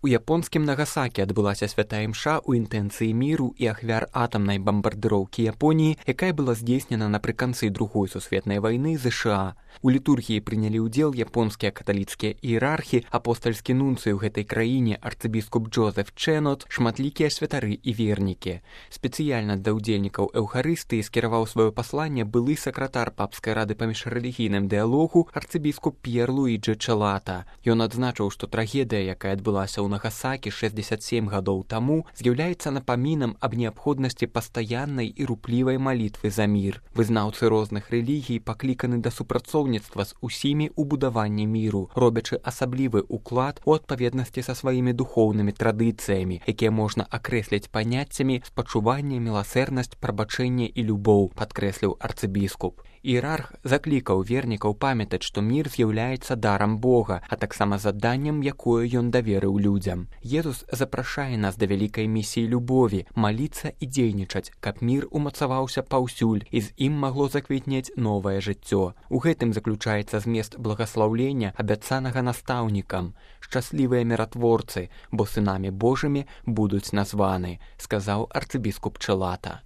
У японскім Нагасакі адбылася святая імша ў інтэнцыі міру і ахвяр атамнай бамбардыроўкі Японіі, якая была здзейснена напрыканцы Другой сусветнай вайны ЗША. У літургіі прынялі ўдзел японскія каталіцкія іерархі, апостальскі нунцый у гэтай краіне арцыбіскуп Джозеф Чэнот, шматлікія святары і вернікі. Спецыяльна для ўдзельнікаў эўхарыстыі скіраваў сваё пасланне былы сакратар папскай рады па міжрэлігійным дыялогу арцыбіскуп П'ер Луіджы Чэлата. Ён адзначыў, што трагедыя, якая адбылася ў Нагасакі 67 гадоў таму, з'яўляецца напамінам аб неабходнасці пастаяннай і руплівай малітвы за мір. Вызнаўцы розных рэлігій пакліканы да супрацоўніцтва з усімі ў будаванні міру, робячы асаблівы ўклад у адпаведнасці са сваімі духоўнымі традыцыямі, якія можна акрэсліць паняццямі спачуванне, міласэрнасць, прабачэнне і любоў, падкрэсліў арцыбіскуп. Іерарх заклікаў вернікаў памятаць, што мір з'яўляецца дарам Бога, а таксама заданнем, якое ён даверыў людзям. Езус запрашае нас да вялікай місіі любові, маліцца і дзейнічаць, каб мір умацаваўся паўсюль і з ім магло заквітнець новае жыццё. У гэтым заключаецца змест благаслаўлення, абяцанага настаўнікам. Шчаслівыя міратворцы, бо сынамі Божымі будуць названы, сказаў арцыбіскуп Чэлата.